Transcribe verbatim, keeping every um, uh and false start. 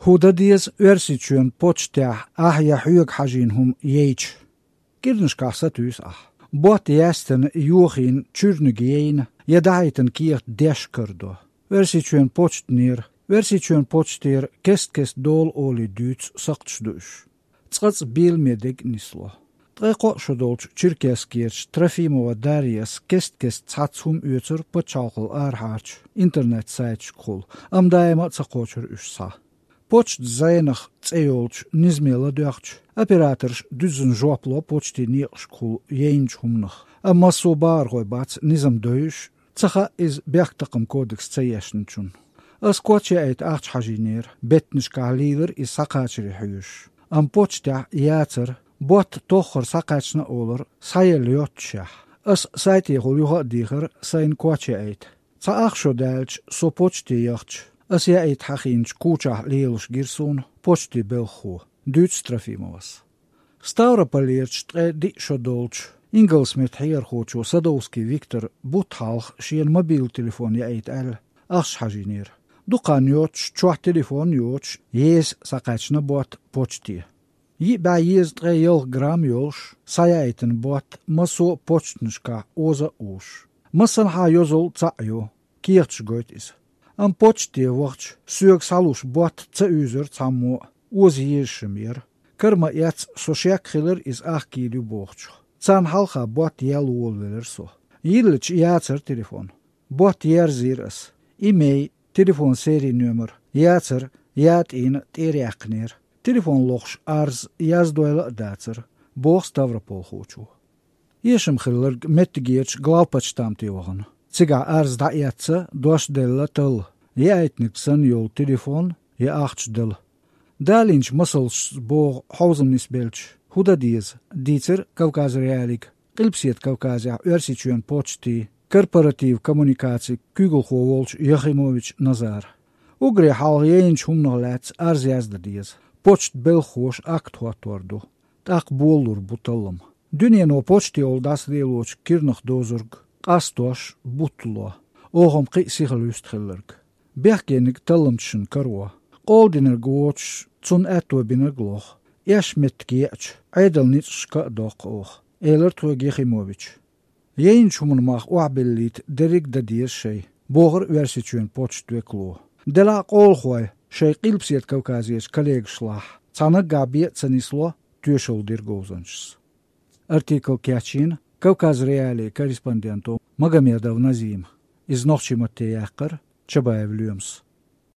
Кху дан деза Оьрсийчоьнан почтехь ахь я хьоьга хьажийна хӀума яйча. КӀирнашкахь сатуьйсу ахь. Ботт яьстина, йохийна, чуьрниг яйна я дӀахьийтина кехат деш карадо. Оьрсийчоьнан почтанера, Оьрсийчоьнан почтера кест-кеста дола олий дуьйцу сакхташ ду уьш. Цкъацкъа беламе дега нисло. Ткъе кхоъ шо долчу Черкесскерчу Трофимова Дарьяс кест-кеста цхьацца хӀума оьцура пачхьалкхал арахьарчу интернет-сайташкахула, амма даима а ца кхочура уьш схьа. Почта зӀенах цӀе йолчу низаме ладоьгӀча, операторша дуьззина жоп ло почтийн некъашкахула яйначу хӀуманах, амма массо а бахархой бац низам дойуш, ца хаьа иза бехктакхаман кодекс ца ешначунна. Ас коч яийта ахча хьажийнера, беттанашкахь лийлира иза схьакхачаре хьоьжуш. Амма почтехь яцара, ботт тоххара схьакхаьчна а олура, схьаелла йоццушехь. Ас сайтехула юха а дийхира сайна коч яийта. Цхьа ах шо даьлча, со почте яхча, ас яийта хьахийначу кучахь лелаш гира суна почтийн белхахо, дуьйцу Трофимовас. Ставрополерчу ткъе диъ шо долчу ингалсметтан хьехархочо Садовский Виктора бутт хьалха шена мобилан телефон яийта аьлла, ахча хьажийнера. Дукха хан йоццуш, чохь телефон а йоцуш, еза схьакхаьчна ботт почте. Йиъ бӀе езткъе ялх грамм йолуш, схьаяийтина ботт массо а почтанашкахь оза а озуш. Массанхьа йозалла цхьаъ йо, кехаташ гойту иза. Амма почте вахча, соьга схьалуш ботт ца уьйзура цхьаммо а, оза езаш-м яра. Кара ма-эццу, со шек хилира иза ахка йийр ю бохучух. Царна хьалха ботт яьлла волавелира со. Йиллича яцара телефон. Ботт ерзийра ас. Имей, телефон серий номер, яцара, ятӀийна тӀера яьккхинера. Телефон лохуш арз яздойла а дацара, боху ставрополхочо. Эшам хилларг меттигерчу главпочтамте вахана. Цигахь арз дӀаэцна, дош делла талла, яийтинарг санна йолу телефон я ахча дала. Далийначу масалшца боху хьовзам нисбелча, хӀун дан деза, дийцира Кавказ.Реалиига Къилбаседа Кавказехь Оьрсийчоьнан почтийн корпоратив коммуникацин куьйгалхо волчу Яхимович Назара. Уггаре хьалха яйначу хӀуманах лаьцна арз яздан деза. Почтан белхахоша акт хӀоттор ду. ТӀаккха болалур бу таллам. Дуьнено почтехула дӀасалелочу кирнах дозург къастош бутт ло. Оха-м кхин а сихалуьсту хилларг. Бехкениг талламчашна каро. Къоладинарг воцуш, цунна аьтто бинарг лоху. Эшна меттиг еача, Ӏедалан ницкъашка а доккху оха, элира тхоьга Яхимовича. Яйначу хӀуманан мах охьабиллийта дерриг а дан деза шайн, бохура Оьрсийчоьнан почтан векало. Делахь а къолахой шайн Къилбаседа Кавказерчу коллегашлахь цхьа наггахь бен а ца нисло, тоьшалла дира говзанчас. Артикл кечйина Кавказ.Реалиин корреспонденто Магомедов Назима. Иза нохчийн матте яьккхира Чабаев Лоьмас.